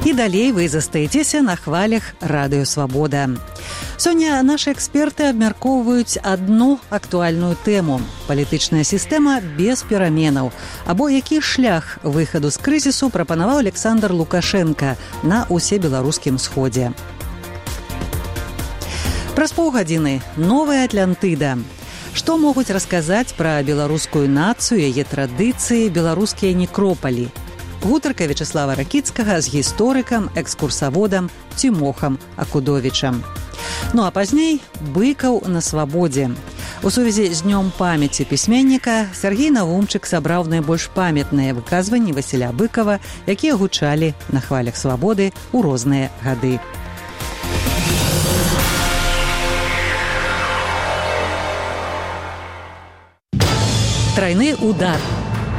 І далей вы застаецеся на хвалях Радыё Свабода. Сёння нашы эксперты абмяркоўваюць адну актуальную тэму – палітычная сістэма без пераменаў, або які шлях выхаду з крызісу прапанаваў Александр Лукашенко на усебеларускім сходзе. Праз паўгадзіны новая Атлантыда. Што могуць расказаць пра беларускую нацыю, яе традыцыі, беларускія некропалі? Гутарка Вячеслава Ракіцкага з гісторыкам, экскурсаводам Цімохам Акудовічам. Ну а пазней быкаў на свабодзе. У сувязі з днём памяці пісьменніка Сергей Навумчык сабраў найбольш памятныя выказванні Васіля Быкава, якія гучалі на хвалях свабоды ў розныя гады. Трайны удар.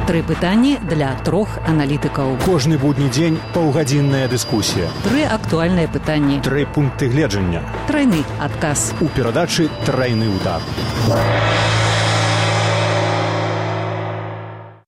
3 пытанні для 3 аналітыкаў. Кожны будні дзень паўгадзінная дыскусія. 3 актуальныя пытанні. 3 пункты гледжання. Трайны адказ. У перадачы «Трайны удар».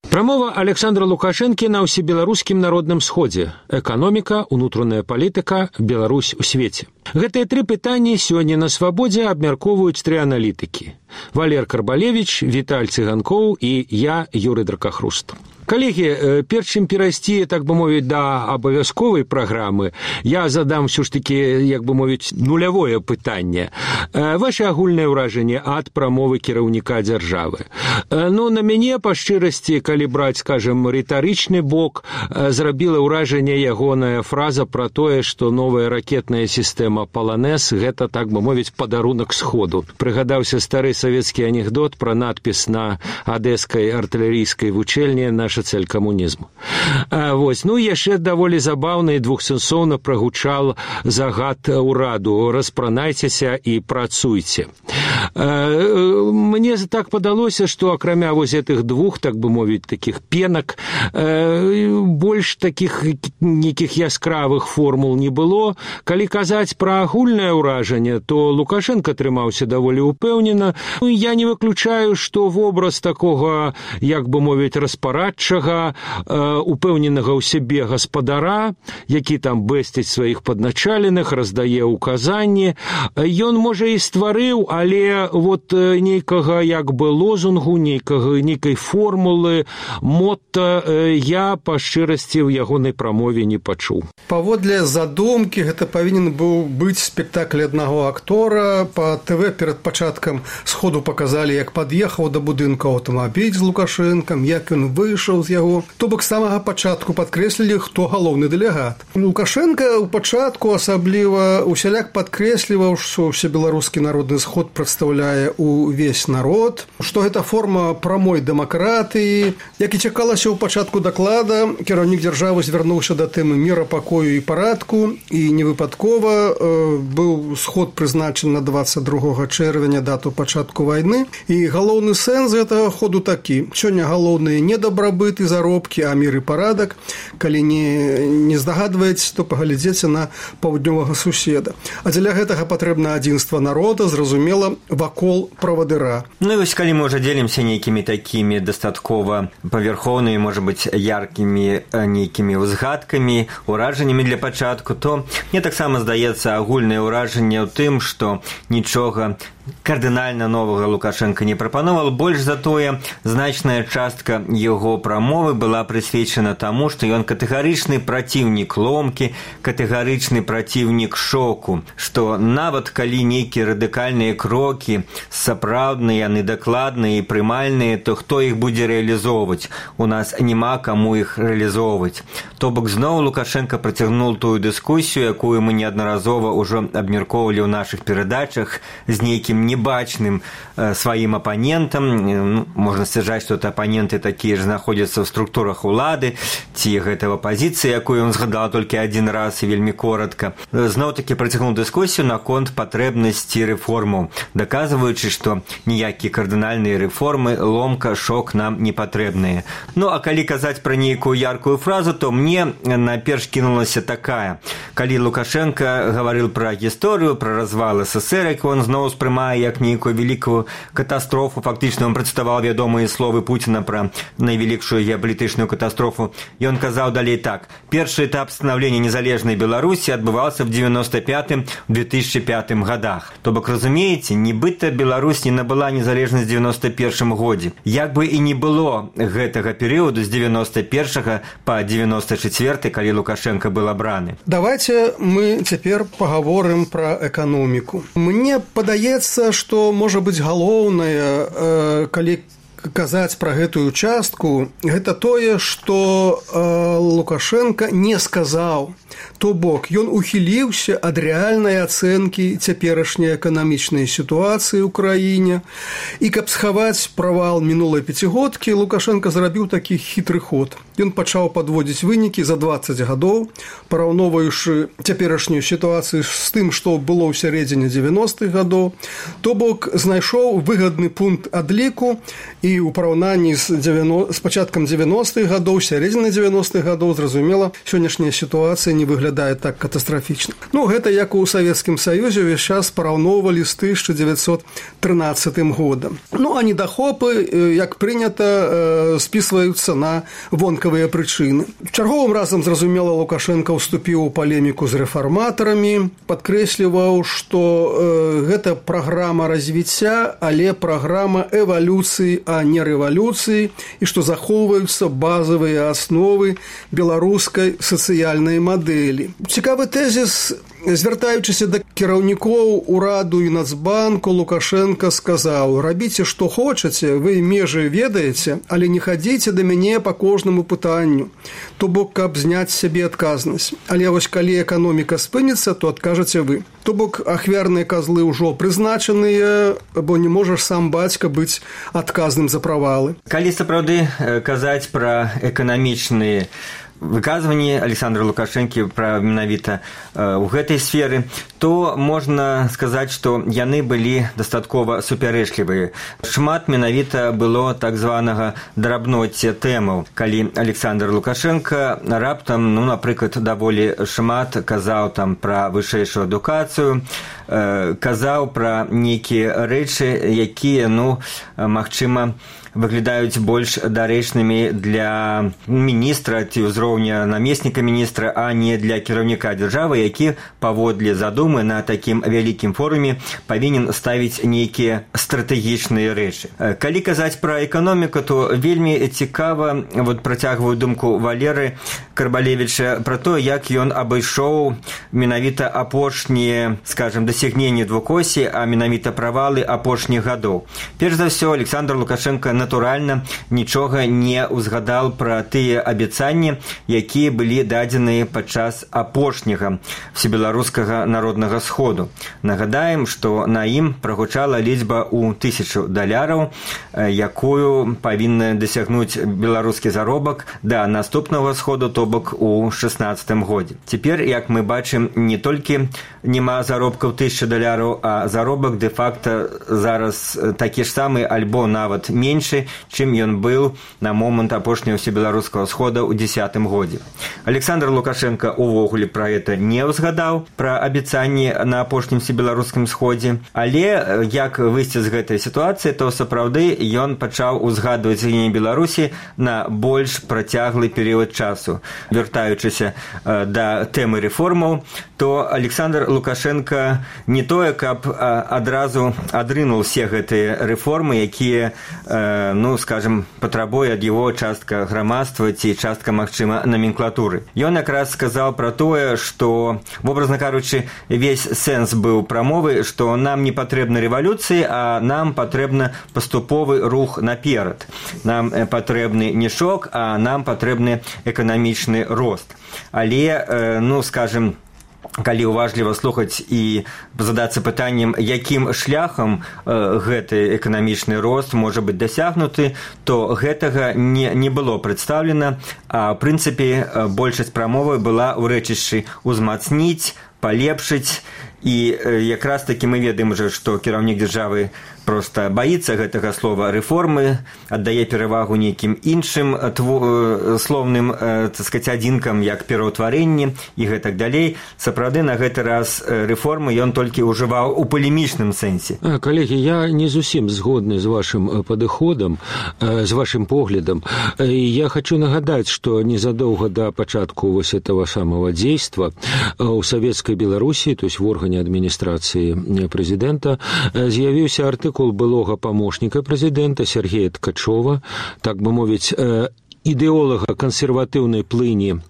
Прамова Александра Лукашэнкі на ўсебеларускім народным сходзе. Эканоміка, унутраная палітыка, Беларусь у свеце. Гэтыя 3 пытанні сёння на свабодзе абмяркоўваюць 3 аналітыкі. Валер Карбалевіч, Віталь Цыганкоў і я, Юрый Дракахруст. Калегі, перш чым перайсці, так бы мовіць, да абавязковай праграмы, я задам ўсё ж такі, як бы мовіць, нулявое пытанне. Вашы агульныя ўражанні ад прамовы кіраўніка дзяржавы. Ну, на мяне, па шчырасці, калі браць, скажем, рытарычны бок, зрабіла ўражанне ягоная фраза пра тое, што новая ракетная сістэма «Паланэс» – гэта, так бы мовіць, падарунак сходу. Прыгадаўся стары савецкі анекдот пра надпіс на адэскай артылерыйскай вучэльні «Наша цель камунізму». Ну, яшчэ даволі забаўна і двухсэнсоўна прагучал загад ураду «Распранайцеся і працуйце». Мне так падалося, што акрамя вось гэтых 2, так бы мовіць, такіх пенак, больш такіх нейкіх яскравых формул не было. Калі казаць пра агульнае ўражанне, то Лукашенко трымаўся даволі упэўнена. Я не выключаю, што вобраз такога, як бы мовіць, распарадчага, упэўненага ў сябе гаспадара, які там бэсціць сваіх падначаленых, раздае ўказанні, ён, можа, і стварыў, але вот нейкага як бы лозунгу, нейкай формулы, мотта я па шчырасці ў ягонай прамове не пачуў. Паводле задумкі гэта павінен быў быць спектакль аднаго актора. Па ТВ перад пачаткам сходу паказалі, як пад'ехаў да будынка аўтамабіль з Лукашэнкам, як ён выйшаў з яго. То бок з самага пачатку падкрэслілі, хто галоўны дэлегат. Лукашенко ў пачатку асабліва усяляк падкрэсліваў, што ўсебеларускі народны сход прадстаўляе увесь народ, што гэта форма прамой дэмакратыі. Як і чакалася ў пачатку даклада, кіраўнік дзяржавы звярнуўся да тэмы міра, пакою і парадку, і невыпадкова быў сход прызначаны на 22 чэрвеня, дату пачатку вайны. І галоўны сэнс гэтага ходу такі. Сёння галоўныя не дабрабыт і заробкі, а мір і парадак. Калі не здагадваеце, то паглядзеце на паўднёвага суседа. А дзеля гэтага патрэбна адзінства народа, зразумела, вакол правадыра. Ну і вось калі мы ўжо дзелімся нейкімі такімі дастаткова паверхоўнымі, можа быць, яркімі нейкімі ўзгадкамі, ўражаннямі для пачатку, то мне таксама здаецца агульнае ўражанне ў тым, што нічога кардынальна новага Лукашенко не прапановал. Больш за тое, значная частка яго прамовы была прысвечана таму, што ён катэгарычны праціўнік ломкі, катэгарычны праціўнік шоку, што нават калі нейкія радыкальныя крокі сапраўдныя, яны дакладныя і прымальныя, то хто іх будзе рэалізоўваць? У нас няма каму іх рэалізоўваць. То бок зноў Лукашенко працягнуў тую дыскусію, якую мы неаднаразова ўжо абмяркоўвалі ў нашых перадачах з нейкім небачным сваім апанентам. Можна сцвярджаць, што апаненты такія ж знаходзяцца ў структурах улады, ці гэта апазіцыя, якую ён згадаў толькі адзін раз і вельмі коротка. Зноў-такі працягнуў дыскусію наконт патрэбнасці рэформаў, даказваючы, што ніякія кардынальныя рэформы, ломка, шок нам не патрэбныя. Ну, а калі казаць пра нейкую яркую фразу, то мне наперш кінулася такая. Калі Лукашенко гаварыў пра гісторыю, пра развал СССР, як ён зноў успрымаў ўспрымае як нейкую вялікую катастрофу. Фактычна ён працытаваў вядомыя словы Пуціна пра найвялікшую геапалітычную катастрофу. Ён казаў далей так: першы этап становлення незалежнай Беларусі адбываўся в 95-2005 годах. То бок, разумееце, нібыта Беларусь не набыла незалежнасць в 91 годзе. Як бы і не было гэтага перыяду з 91 па 94, калі Лукашенко был абраны. Давайте мы цяпер паговорым пра эканоміку. Мне падаецца, што можа быць галоўнае, калі казаць пра гэтую частку, гэта тое, што Лукашенко не сказаў. То бок, ён ухіліўся ад рэальнай ацэнкі цяперашняй эканамічнай сітуацыі ў краіне. І каб схаваць правал мінулай пяцігодкі, Лукашенко зрабіў такі хітры ход. Ён пачаў падводзіць вынікі за 20 гадоў, параўноўваючы цяперашнюю сітуацыю з тым, што было ў сярэдзіне 90-х гадоў. То бок, знайшоў выгадны пункт адліку і ў параўнанні з пачаткам 90-х гадоў, сярэдзіны 90-х гадоў, зразумела, сённяшняя сітуацыя не выглядае так катастрафічна. Ну, гэта як у Савецкім Саюзе ўвесь час параўноўвалі з 1913 годам. Ну, а недахопы, як прынята, спісваюцца на вонкавыя прычыны. Чарговым разам, зразумела, Лукашенко ўступіў у палеміку з рэфарматарамі, падкрэсліваў, што гэта праграма развіцця, але праграма эвалюцыі, а не рэвалюцыі, і што захоўваюцца базавыя асновы беларускай сацыяльнай мадэлі. Цікавы тэзіс, звяртаючыся да кіраўнікоў ураду і Нацбанку, Лукашенко сказаў: рабіце, што хочаце, вы межы ведаеце, але не хадзіце да мяне па кожнаму пытанню. То бок, каб зняць сябе адказнасць. Але вось калі эканоміка спыніцца, то адкажаце вы. То бок, ахвярныя казлы ўжо прызначаныя, бо не можаш сам бацька быць адказным за правалы. Калі сапраўды казаць пра эканамічныя выказванні Александра Лукашэнкі пра менавіта ў гэтай сферы, то можна сказаць, што яны былі дастаткова супярэчлівыя. Шмат менавіта было так званага драбноцця тэмаў, калі Александр Лукашенко раптам, напрыклад, даволі шмат казаў там пра вышэйшую адукацыю, казаў пра нейкія рэчы, якія, магчыма, выглядаюць больш дарэчнымі для міністра ці ўзроўня намесніка міністра, а не для кіраўніка дзяржавы, які паводле задумы на такім вялікім форуме павінен ставіць нейкія стратэгічныя рэчы. Калі казаць пра эканоміку, то вельмі цікава, працягваю думку Валеры Карбалевіча пра то, як ён абышоў менавіта апошнія, скажем, дасягненні двухосі, а менавіта правалы апошніх гадоў. Перш за ўсё, Александр Лукашенко натуральна нічога не ўзгадал пра тыя абяцанні, якія былі дадзеныя падчас апошняга всебеларускага народнага сходу. Нагадаем, што на ім прагучала лічба ў $1000, якую павінна дасягнуць беларускі заробак да наступнага сходу, то бок у 16 годзе. Цяпер, як мы бачым, не толькі няма заробкаў $1000, а заробак дэ-факта зараз такі ж самы альбо нават менш, чым ён быў на момант апошняга всебеларускага схода ў 10 годзе. Александр Лукашенко увогуле пра гэта не ўзгадаў, пра абяцанні на апошнім всебеларускім сходзе, але як выйсці з гэтай сітуацыі, то сапраўды ён пачаў узгадваць згіненне Беларусі на больш працяглы перыяд часу. Вяртаючыся да тэмы рэформаў, то Александр Лукашенко не тое, каб адразу адрынуў все гэтыя рэформы, якія скажем, патрабуе ад яго частка грамадства ці частка, магчыма, наменклатуры. Ён якраз сказаў пра тое, што, вобразна кажучы, весь сэнс быў прамовы, што нам не патрэбна рэвалюцыі, а нам патрэбна паступовы рух наперад. Нам патрэбны не шок, а нам патрэбны эканамічны рост. Але, скажем, калі уважліва слухаць і задацца пытаннем, якім шляхам гэты эканамічны рост можа быць дасягнуты, то гэтага не было прадстаўлена, а ў прынцыпе большасць прамовы была ў рэчышчы ўзмацніць, палепшыць І якраз такі мы ведаем уже, што кіраўнік дзяржавы просто боится гэтага слова рэформы, аддае перавагу нейкім іншым слоўным, так сказать, адзінкам, як пераўтварэнне і гэтак далей. Сапраўды, на гэты раз рэформы ён толькі ўжываў у палемічным сэнсе. Калегі, я не зусім згодны з вашым падыходам, з вашым поглядам. Я хочу нагадаць, што незадоўга да пачатку вось этого самого дзейства у Савецкай Беларусі, то есть в органе адміністрацыі прэзідэнта, з'явіўся артыкул былога памочніка прэзідэнта Сергея Ткачова, так бы мовіць, ідэолага кансерватыўнай плыні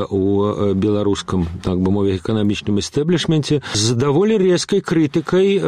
у беларускам, так бы мовіць, эканамічным эстэблішменце з даволі рэзкай крытыкай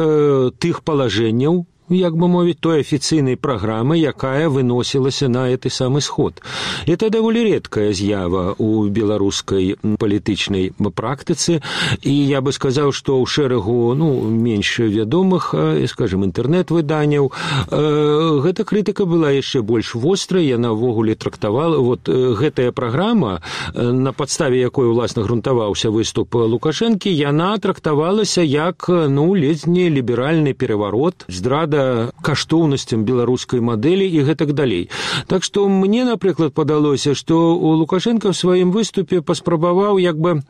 тых палажэнняў, як бы мовіць, той афіцыйнай праграмы, якая выносілася на гэты самы сход. Это даволі рэдкая з'ява ў беларускай палітычнай практыцы, і я бы сказаў, што ў шэрагу менш вядомых, скажем, інтэрнэт-выданняў гэта крытыка была яшчэ больш вострай, яна ўвогуле трактавала, вот гэтая праграма, на падставе якой уласна грунтаваўся выступ Лукашэнкі, яна трактавалася як, ледзь не ліберальны пераварот, здрада каштоўнасцям беларускай мадэлі і гэтак далей. Так што мне, напрыклад, падалося, што Лукашенко в сваім выступе паспрабаваў як бы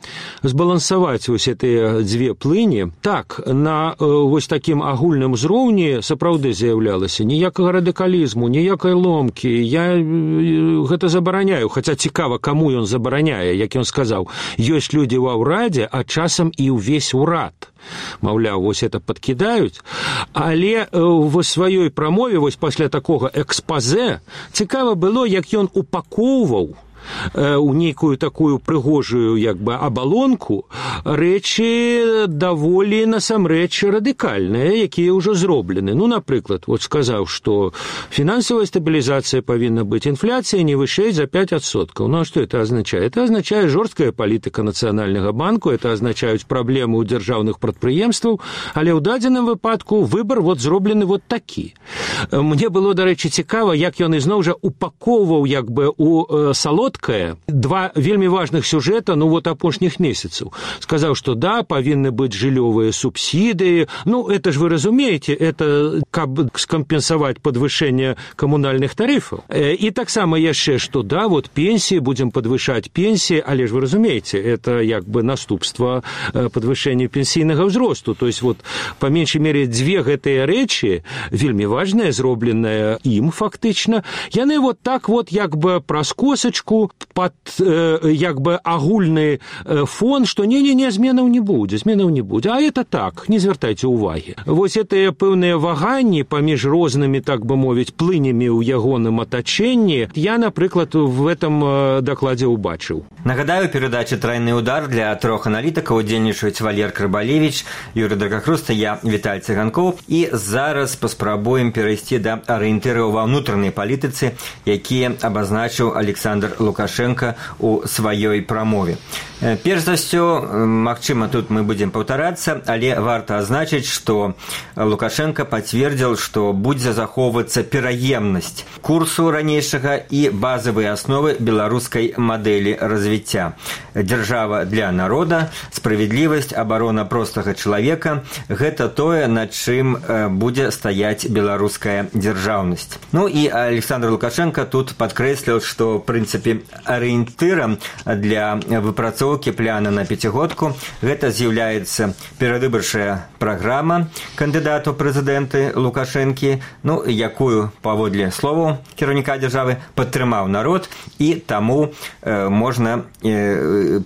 збалансаваць вось гэтыя дзве плыні. Так, на вось такім агульным узроўні сапраўды з'яўлялася ніякага радыкалізму, ніякай ломкі. Я гэта забараняю, хаця цікава, каму ён забараняе, як ён сказаў, ёсць людзі ва ўрадзе, а часам і ўвесь урад. Маўляў, вось это падкідаюць, але в сваёй прамове, вось пасля такога экспазе, цікава было, як ён упакоўваў у нейкую такую прыгожую як бы абалонку рэчы даволі насамрэч радыкальныя, якія ўжо зроблены. Напрыклад, вот сказаў, што фінансавая стабілізацыя павінна быць, інфляцыя не вышэй за 5%. А што это означает? Это означает жорсткая палітыка Нацыянальнага банку, это означаюць праблемы ў дзяржаўных прадпрыемстваў, але ў дадзеным выпадку выбар вот зроблены вот такі. Мне было, дарэчы, цікава, як ён ізноў жа упакоўваў як бы у салодкае два вельмі важных сюжэта, вот апошніх месяцаў. Сказаў, што да, павінны быць жыллёвыя субсідыі. Это ж вы разумееце, это каб скампенсаваць падвышэнне камунальных тарыфаў. І таксама яшчэ, што да, вот пенсіі, будзем падвышаць пенсіі, але ж вы разумееце, это як бы наступства падвышэння пенсійнага ўзросту. То есть вот па меншай мере дзве гэтыя рэчы, вельмі важныя, зробленыя ім фактычна, яны вот так вот як бы праз косачку пад як бы агульны фон, што не, зменаў не будзе. А это так, не звяртайце ўвагі. Вось гэтыя пэўныя ваганні паміж рознымі, так бы мовіць, плынямі ў ягоным атачэнні я, напрыклад, в этом дакладзе ўбачыў. Нагадаю, перадача «Тройны удар» для 3 аналітыкаў удзельнічаюць Валер Крыбалевіч, Юрый Драгахруста, я Віталь Цыганкоў. І зараз паспрабуем перайсці да арыентыраў ва ўнутранай палітыцы, якія абазначыў Александр Лукашенко у сваёй прамове. Перш за ўсё, магчыма, тут мы будзем паўтарацца, але варта азначыць, што Лукашенко пацвердзіў, што будзе захоўвацца пераемнасць курсу ранейшага і базавыя асновы беларускай мадэлі развіцця. Дзяржава для народа, справядлівасць, абарона простага чалавека – гэта тое, над чым будзе стаяць беларуская дзяржаўнасць. І Александр Лукашенко тут падкрэсліў, што, в прынцыпе, арыентырам для выпрацоўкі пляна на пяцігодку гэта з'яўляецца перадвыбарчая праграма кандыдату прэзідэнты Лукашэнкі, якую, паводле словаў кіраўніка дзяржавы, падтрымаў народ, і таму можна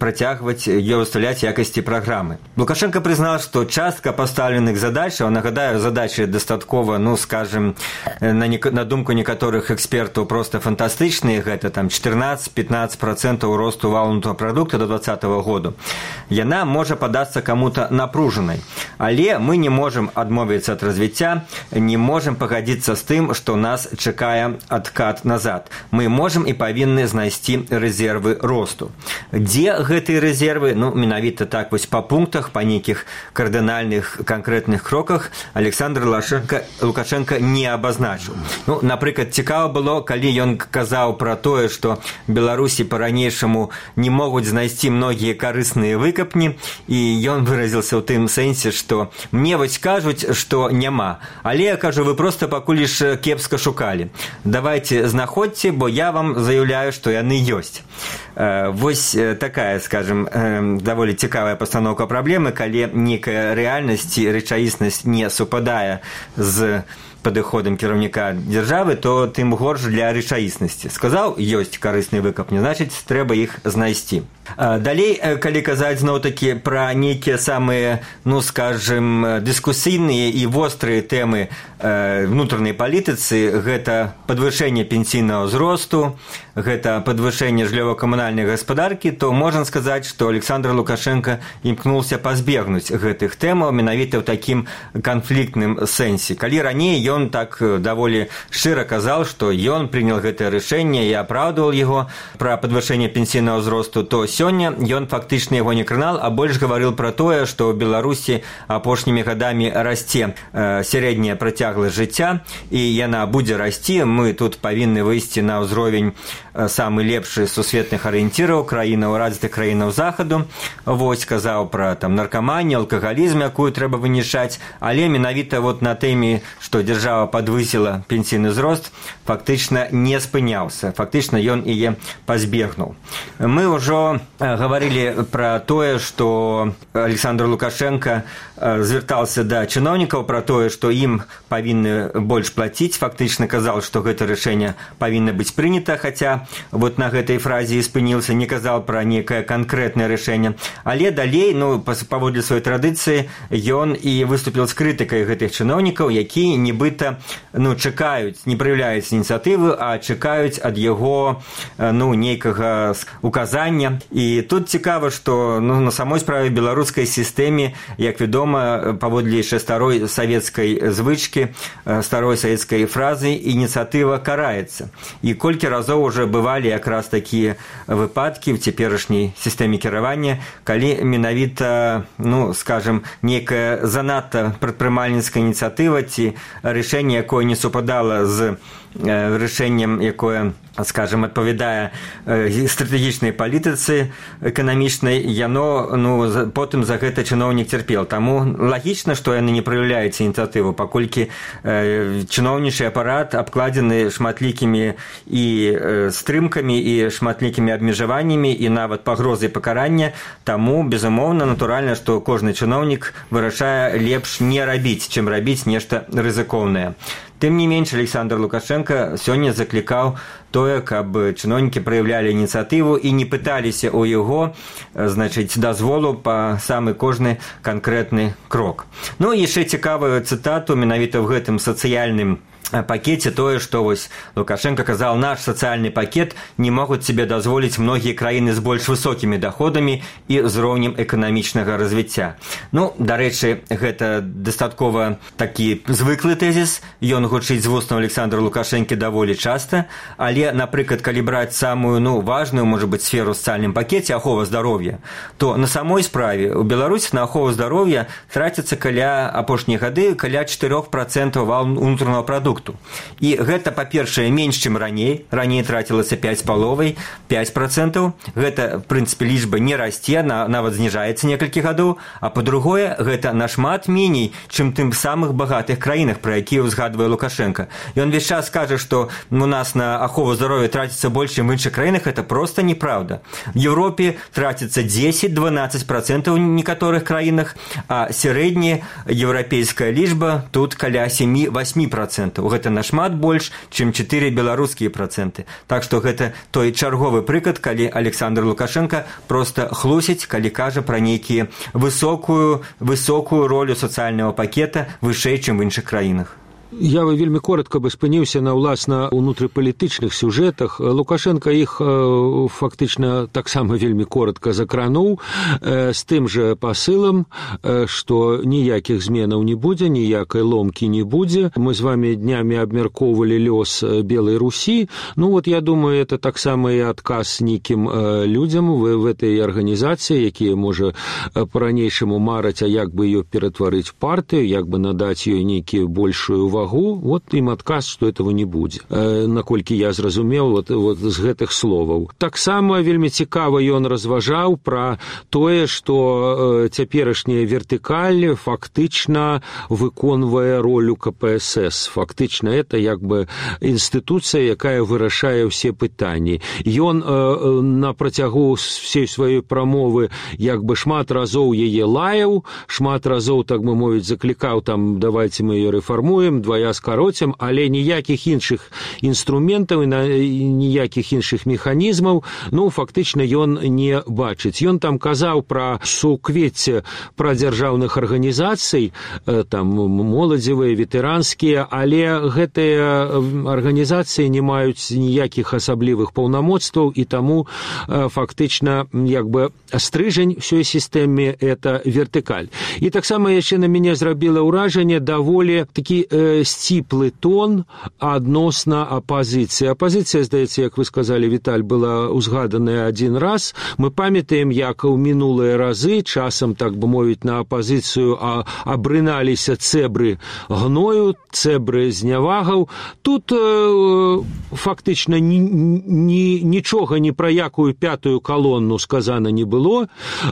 працягваць ее выставляць якасці праграмы. Лукашенко прызнаў, што частка пастаўленых задачаў, нагадаю, задачы дастаткова, скажем, на думку некаторых экспертаў, проста фантастычныя, гэта там 14-15% росту валового продукта до 2020 года. Яна можа падацца каму-то напружанай. Але мы не можам адмовіцца ад развіцця, не можам пагадзіцца з тым, што нас чакае адкат назад. Мы можам і павінны знайсці рэзервы росту. Дзе гэтыя рэзервы? Менавіта так вось па пунктах, па нейкіх кардынальных канкрэтных кроках Александр Лукашенко не абазначыў. Напрыклад, цікава было, калі ён казаў пра тое, што Беларусі па-ранейшаму не могуць знайсці многія карысныя выкапні, і ён выразіўся ў тым сэнсе, што мне вось кажуць, што няма, але я кажу, вы проста пакуль ж кепска шукалі. Давайте знаходзьце, бо я вам заяўляю, што яны ёсць. Вось такая, скажем, даволі цікавая пастаноўка праблемы, калі нейкая рэальнасць і рэчаіснасць не супадае з падыходам кіраўніка дзяржавы, то тым горш для рэчаіснасці. Сказаў, ёсць карысныя выкапні, значыць, трэба іх знайсці. Далей, калі казаць зноў-такі пра нейкія самыя, ну, скажем, дыскусійныя і вострыя тэмы внутреннай палітыцы, гэта падвышэнне пенсійнага ўзросту, гэта падвышэнне жыллёва-камунальнай гаспадаркі, то можна сказаць, што Александр Лукашенко імкнуўся пазбегнуць гэтых тэмаў менавіта ў такім канфліктным сэнсе. Калі раней ён так даволі шчыра казаў, што ён прынял гэтае рашэнне і апраўдваў яго пра падвышэнне пенсійнага ўзросту, то сёння ён фактычна яго не кранал, а больш гаварыў пра тое, што ў Беларусі апошнімі гадамі расце сярэдняя працягласць жыцця, і яна будзе расці. Мы тут павінны выйсці на ўзровень самы лепшы сусветных арыенціраў краінаў, развітых краінаў захаду. Вось казаў пра там наркаманію, алкагалізм, якую трэба вынішаць, але менавіта вот на тэме, што дзяржава падвысіла пенсійны ўзрост, фактычна не спыняўся. Фактычна ён яе пазбегнуў. Мы ўжо гаварылі пра тое, што Александр Лукашенко звяртаўся да чыноўнікаў пра тое, што ім павінны больш плаціць. Фактычна казаў, што гэта рашэнне павінна быць прынята, хаця вот на гэтай фразе і спыніўся, не казаў пра нейкае канкрэтнае рашэнне. Але далей, ну, паводле сваёй традыцыі, ён і выступіў з крытыкай гэтых чыноўнікаў, якія нібыта, ну, чакаюць, не праяўляюць ініцыятывы, а чакаюць ад яго, ну, нейкага указання. І тут цікава, што, ну, на самой справе беларускай сістэме, як вядома, паводле яшчэ старой савецкай звычкі, старой савецкай фразы, ініцыятыва караецца. І колькі разоў уже бывалі якраз такія выпадкі в цяперашняй сістэме кіравання, калі менавіта, ну, скажем, нейкая занадта прадпрымальніцкая ініцыятыва ці рашэнне, якое не супадала з рашэннем, якое, скажем, адпавядае стратэгічнай палітыцы эканамічнай, яно, ну, потым за гэта чыноўнік цярпеў. Таму лагічна, што яны не праяўляюць ініцыятыву, паколькі чыноўнічы апарат абкладзены шматлікімі і стрымкамі і шматлікімі абмежаваннямі і нават пагрозай пакарання. Таму, безумоўна, натуральна, што кожны чыноўнік вырашае лепш не рабіць, чым рабіць нешта рызыкоўнае. Тым не менш, Александр Лукашенко сёння заклікаў тое, каб чыноўнікі праяўлялі ініцыятыву і не пыталіся ў яго, значыць, дазволу па самы кожны канкрэтны крок. Ну, і яшчэ цікавую цытату менавіта ў гэтым сацыяльным пакеце тое, што вось Лукашенко казаў, наш сацыяльны пакет не могуць себе дазволіць многія краіны з больш высокімі доходамі і ўзроўнем эканамічнага развіцця. Ну, дарэчы, гэта дастаткова такі звыклы тэзіс, ён гучыць з вуснаў Александра Лукашэнкі даволі часта, але, напрыклад, калі браць самую, ну, важную, можа быць, сферу ў сацыяльным пакеце, ахова здароўя, то на самой справе ў Беларусі на ахову здароўя траціцца каля апошнія гады каля 4% унутранага прадукту. І гэта, па-першае, менш, чым раней. Раней трацілася 5,5%. Гэта, в прынцыпе, лічба не расце, нават зніжаецца некалькі гадоў. А па-другое, гэта нашмат меней, чым тым самых багатых краінах, пра якія ўзгадвае Лукашенко. Ён весь час кажа, што у нас на ахову здароўя траціцца больш, чым в іншых краінах. Гэта проста неправда. В Еўропе траціцца 10-12% у некаторых краінах, а сярэдняя еўрапейская лічба тут каля 7-8%. Гэта нашмат больш, чым 4 беларускія працэнты. Так што гэта той чарговы прыклад, калі Александр Лукашенко проста хлусіць, калі кажа пра нейкія высокую ролю сацыяльнага пакета вышэй, чым в іншых краінах. Я вельмі коротка бы спыніўся на ўласна ўнутрыпалітычных сюжэтах. Лукашенко іх фактычна таксама вельмі коротка закрануў з тым жа пасылам, што ніякіх зменаў не будзе, ніякай ломкі не будзе. Мы з вами днямі абмяркоўвалі лёс Белай Русі. Ну вот, я думаю, это таксама і адказ нейкім людзям в этой арганізацыі, якія, можа, па-ранейшаму мараць, а як бы ее ператварыць партыю, як бы надаць ёй нейкую большую вагу, вот ім адказ, што этого не будзе. Наколькі я зразумеў вот з гэтых словаў. Таксама вельмі цікава ён разважаў пра тое, што цяперашняя вертыкаль фактычна выконвае ролю КПСС. Фактычна это як бы інстытуцыя, якая вырашае ўсе пытанні. Ён на працягу всей сваёй прамовы як бы шмат разоў яе лаяў, шмат разоў, так бы мовіць, заклікаў там, давайте мы ее рэфармуем, двая скароцім, але ніякіх іншых інструментаў і ніякіх іншых механізмаў, ну, фактычна ён не бачыць. Ён там казаў пра суквецце пра дзяржаўных арганізацый, там моладзевыя, ветэранскія, але гэтыя арганізацыі не маюць ніякіх асаблівых паўнамоцтваў, і таму фактычна як бы стрыжань всёй сістэме это вертыкаль. І таксама яшчэ на мяне зрабіла ўражанне даволі такі сціплы тон адносна апазіцыі. Апазіцыя, здаецца, як вы сказалі, Віталь, была узгаданая адзін раз. Мы памятаем, як у минулыя разы часам, так бы мовіць, на апазіцыю абрыналіся цэбры гною, цэбры знявагаў. Тут фактычна нічога ні пра якую пятую калонну сказана не было.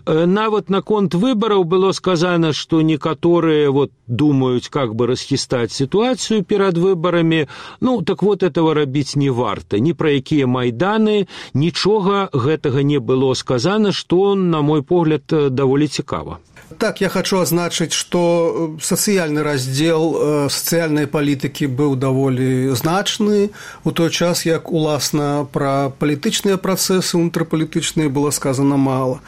Нават наконт выбараў было сказано, што некаторыя вот думаюць, как бы расхістаць ситуацию перед выборами. Ну, так вот этого рабіць не варта. Ні пра якія майданы, нічога гэтага не было сказано, што, на мой погляд, даволі цікава. Так, я хочу азначыць, што сацыяльны раздзел сацыяльнай палітыкі быў даволі значны, у той час, як, уласна, пра палітычныя працэсы унутрапалітычныя было сказана мала.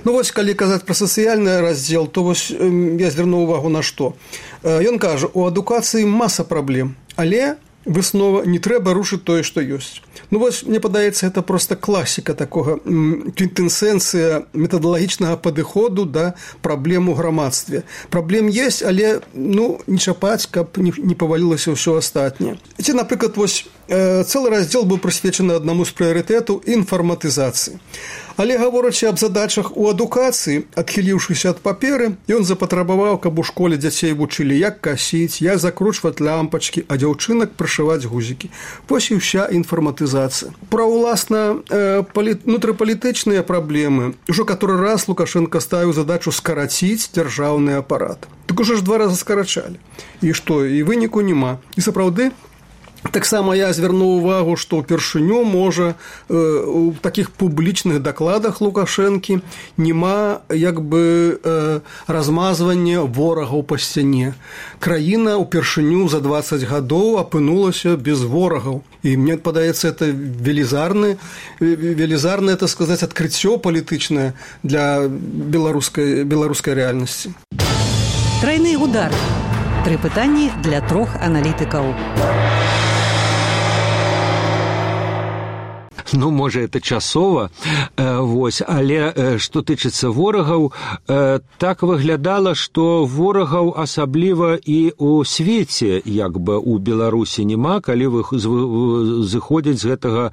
Ну, вось, калі казаць пра сацыяльны раздзел, то вось я звярну ўвагу на што. Ён кажа, у адукацыі маса праблем, але выснова не трэба рушыць тое, што ёсць. Ну, вось, мне падаецца, это просто класіка такога, квінтэсенцыя метадалагічнага падыходу да праблем у грамадстве. Праблем есть, але, ну, не чапаць, каб не павалілася ўсё астатняе. Ці, напрыклад, вось, цэлы раздзел быў прысвечаны аднаму з прыярытэтаў інфарматызацыі. Але, гаворачы аб задачах у адукацыі, адхіліўшыся ад паперы, ён запатрабаваў, каб у школе дзяцей вучылі, як касіць, як закручваць лямпачкі, а дзяўчынак прышываць гузікі. Вось і ўся інфарматызацыя. Пра, уласна, внутрыпалітычныя праблемы. Ужо каторы раз Лукашенко ставіў задачу скараціць дзяржаўны апарат. Так ужо ж 2 разы скарачалі. І што, і выніку няма. І сапраўды, таксама я звярнуў увагу, што ўпершыню, можа, у такіх публічных дакладах Лукашэнкі няма як бы размазвання ворагаў па сцяне. Краіна ўпершыню за 20 гадоў апынулася без ворагаў. І мне падаецца, это велізарнае, это сказаць, адкрыццё палітычнае для беларускай рэальнасці. Трайны удар. 3 пытанні для 3 аналітыкаў. Ну, можа, это часова, вось, але што тычыцца ворагаў, так выглядала, што ворагаў асабліва і ў свеце, як бы у Беларусі няма, калі зыходзяць з гэтага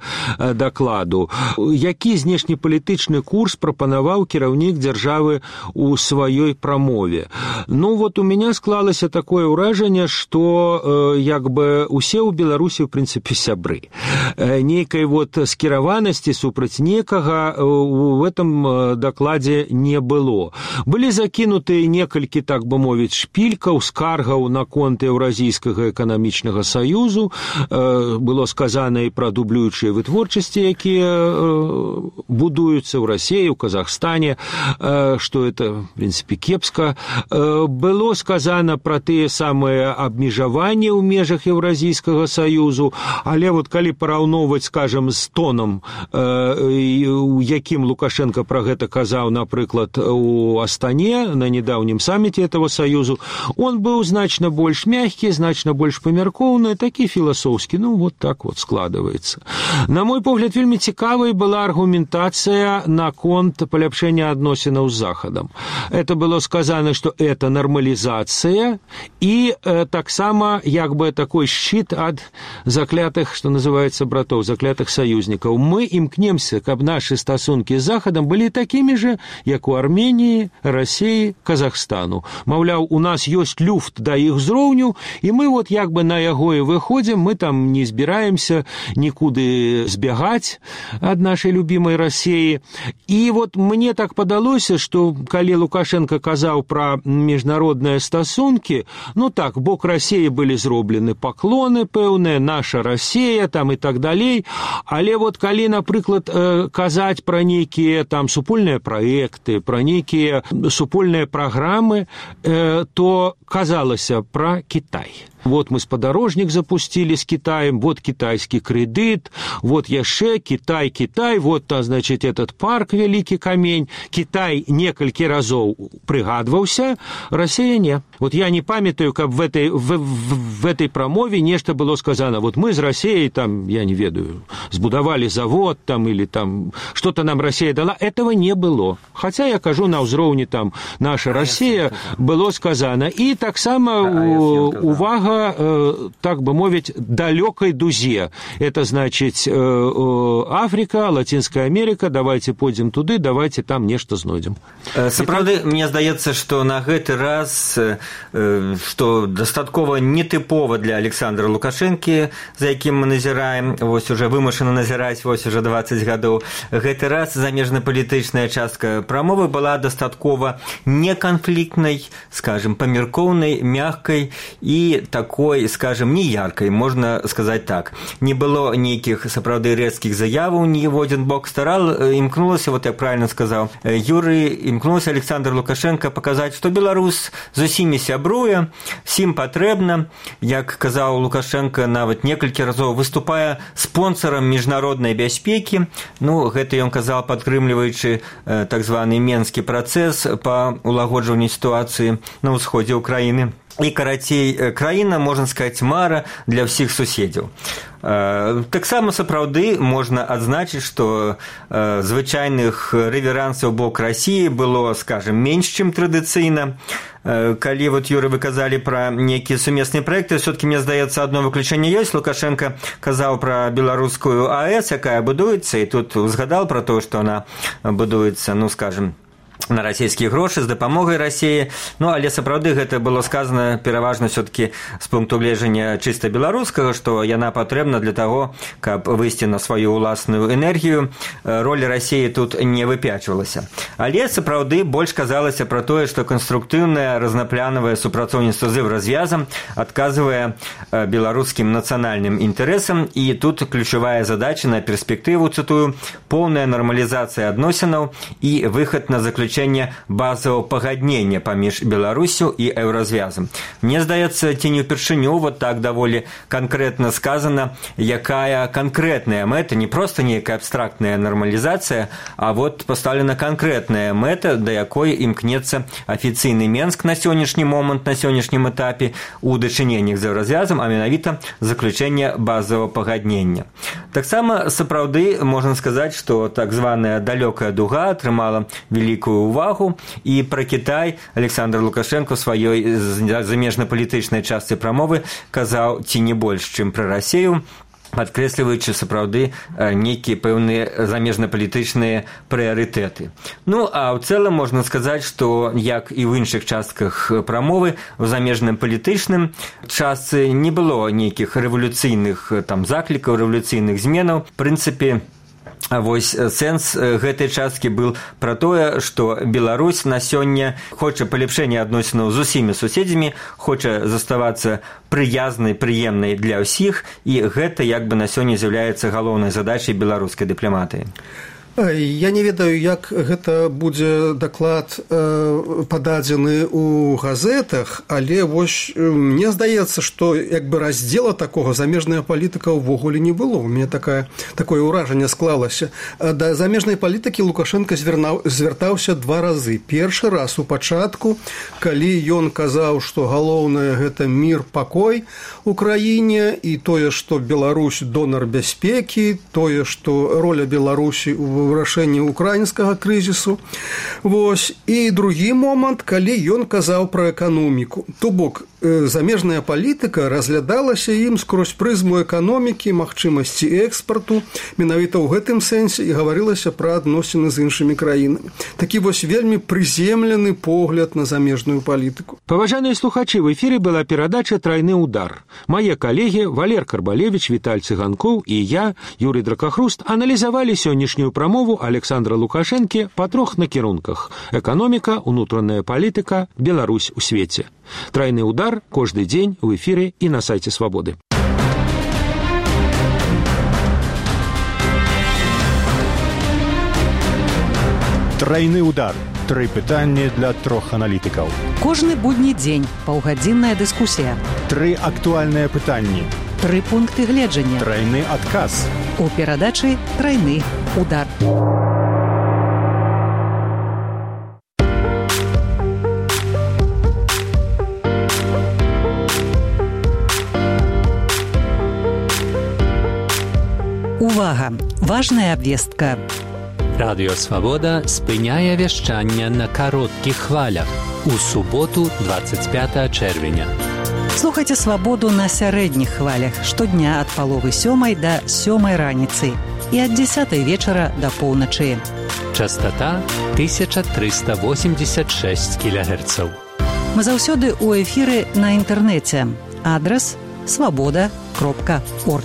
дакладу. Які знешнепалітычны курс прапанаваў кіраўнік дзяржавы ў сваёй прамове? Ну, вот у меня склалася такое ўражанне, што як бы усе ў Беларусі, ў прынцыпе, сябры. Нейкай вот скіраванасці супраць некага в этом дакладзе не было. Былі закінутыя некалькі, так бы мовіць, шпількаў, скаргаў наконт Еўразійскага эканамічнага саюзу. Было сказана і пра дублюючыя вытворчасці, якія будуюцца ў Расіі, ў Казахстане, што это, в прынцыпе, кепска. Было сказана пра тыя самыя абмежаванні ў межах Еўразійскага саюзу, але вот калі параўноўваць, скажем, з тоном, у якім Лукашенко пра гэта казаў, напрыклад, у Астане на недаўнім саміце этого саюзу, он быў значна больш мягкі, значна больш памяркоўны, такі філасофскі, ну, вот так вот складываецца. На мой погляд, вельмі цікавай была аргументацыя наконт паляпшэння адносінаў з Захадам. Это было сказано, что это нормализация и таксама як бы такой щит от заклятых, что называется, братов, заклятых союзников. союзнікаў. Мы імкнемся, каб нашы стасункі з Захадам былі такімі же, як у Арменіі, Расіі, Казахстану. Маўляў, у нас ёсць люфт да іх узроўню, і мы вот як бы на яго і выходзім, мы там не збіраемся нікуды збягаць ад нашай любімай Расіі. І вот мне так падалося, што калі Лукашенко казаў пра міжнародныя стасункі, ну так, бок Расіі былі зроблены паклоны пэўныя, наша Расія там і так далей, але вот калі, напрыклад, казаць пра нейкія там супольныя праекты, пра нейкія супольныя праграмы, то казалася пра Кітай. Вот мы спадарожнік запустили с Китаем, вот китайский кредит, вот яшчэ Китай, вот, значит, этот парк Великий Камень. Китай некалькі разоў прыгадваўся, Россия не. Вот я не памятаю, каб в этой прамове нешта было сказано. Вот мы с Россией там, я не ведаю, збудавали завод там или там что-то нам Россия дала. Этого не было. Хотя я кажу на ўзроўні там наша Россия было сказано. И таксама увага, так бы мовіць, далёкай дузе. Это значит Африка, Латинская Америка, давайте пойдем туды, давайте там нешта знойдем. Сапраўды, мне здаецца, што на гэты раз, што дастаткова нетыпова для Александра Лукашэнкі, за якім мы назіраем, вось уже вымушана назіраць вось уже 20 гадоў, гэты раз замежнапалітычная частка прамовы была дастаткова неканфліктнай, скажем, памяркоўнай, мягкай і такой, скажем, не яркой, можно сказать так. Не было нейкіх сапраўды рэзкіх заяваў ні в один бок. Імкнулася, вот як правильно сказал Юрий, імкнулася Александр Лукашенко показать, что Беларусь з усімі сябруе, всім патрэбна, як казаў Лукашенко нават некалькі разоў, выступая спонсорам міжнароднай бяспекі. Ну, гэта ён казаў, падтрымліваючы так званы менскі працэс па улагоджванню сітуацыі на ўсходзе Украіны. І, карацей, краіна, можна сказаць, мара для ўсіх суседзяў. Таксама сапраўды можна адзначыць, што звычайных рэверансаў бок Расіі было, скажем, менш, чым традыцыйна. Калі вот, Юры, вы казалі пра нейкія сумесныя праекты, все-таки, мне здаецца, одно выключэнне ёсць. Лукашенко казаў пра беларускую АЭС, якая будуецца, і тут узгадал пра то, што она будуецца, ну, скажем, на расійскія грошы з дапамогай Расіі. Ну, але сапраўды гэта было сказана пераважна все-таки з пункту гледжання чыста беларускага, што яна патрэбна для таго, каб выйсці на сваю ўласную энергію. Роль Расіі тут не выпячвалася. Але сапраўды больш казалася пра тое, што канструктыўнае разнапланавае супрацоўніцтва з Еўразвязам адказвае беларускім нацыянальным інтарэсам, і тут ключавая задача на перспектыву, цытую, поўная нармалізацыя адносінаў і выхад на заключэнне базового пагаднення паміж Беларусю і Еўразвязам. Мне здаецца, ці не ўпершыню вот так даволі канкрэтна сказана, якая канкрэтная мэта, не проста нейкая абстрактная нармалізацыя, а вот пастаўлена канкрэтная мэта, да якой імкнецца афіцыйны Менск на сённяшні момант, на сённяшнім этапе у дачыненнях з Еўразвязам, а менавіта заключэнне базового пагаднення. Таксама сапраўды можна сказаць, што так званая далёкая дуга атрымала вялікую увагу, і пра Кітай Александр Лукашенко ў сваёй замежнапалітычнай частцы прамовы казаў ці не больш, чым пра Расію, падкрэсліваючы сапраўды нейкія пэўныя замежнапалітычныя прыярытэты. Ну, а ў цэлым можна сказаць, што як і ў іншых частках прамовы, у замежным палітычным частцы не было нейкіх рэвалюцыйных там заклікаў, рэвалюцыйных зменаў. В прынцыпе, вось сэнс гэтай часткі был пра тое, што Беларусь на сёння хоча палепшэння адносінаў з усімі суседзямі, хоча заставацца прыязнай, прыемнай для ўсіх, і гэта як бы на сёння з'яўляецца галоўнай задачай беларускай дыпламатыі. Я не ведаю, як гэта будзе даклад пададзены ў газетах, але вось мне здаецца, што як бы раздзела такога замежная палітыка ўвогуле не было. У мяне такое ўражанне склалася. Да замежнай палітыкі Лукашенко звяртаўся 2 разы. Першы раз у пачатку, калі ён казаў, што галоўнае гэта мір, пакой у краіне, і тое, што Беларусь донар бяспекі, тое, што роля Беларусі у вырашэння украінскага крызісу. Вось. І другі момант, калі ён казаў пра эканоміку. То бок, замежная палітыка разглядалася ім скрозь прызму эканомікі, магчымасці экспарту, менавіта ў гэтым сэнсе і гаварылася пра адносіны з іншымі краінамі. Такі вось вельмі прыземлены погляд на замежную палітыку. Паважаныя слухачы, в эфіры была перадача «Трайны удар». Мае калегі Валер Карбалевич, Віталь Цыганкоў і я, Юрий Дракахруст, аналізавалі сённяшнюю прамову Александра Лукашэнкі па трох накірунках: эканоміка, унутраная палітыка, Беларусь у свеце. «Трайны удар» кожны дзень у эфіры і на сайце Свабоды. Трайны удар. 3 пытанні для 3 аналітыкаў. Кожны будні дзень паўгадзінная дыскусія. 3 актуальныя пытанні. 3 пункты гледжання. Трайны адказ. У перадачы «Трайны удар». Увага! Важная абвестка. Радыё Свабода спыняе вяшчанне на кароткіх хвалях у суботу 25 чэрвеня. Слухайце Свабоду на сярэдніх хвалях штодня ад 6:30 да 7 раніцы і ад 10 вечара да поўначы. Частота 1386 кГц. Мы заўсёды ў эфіры на інтэрнэце. Адрас свабода.орг.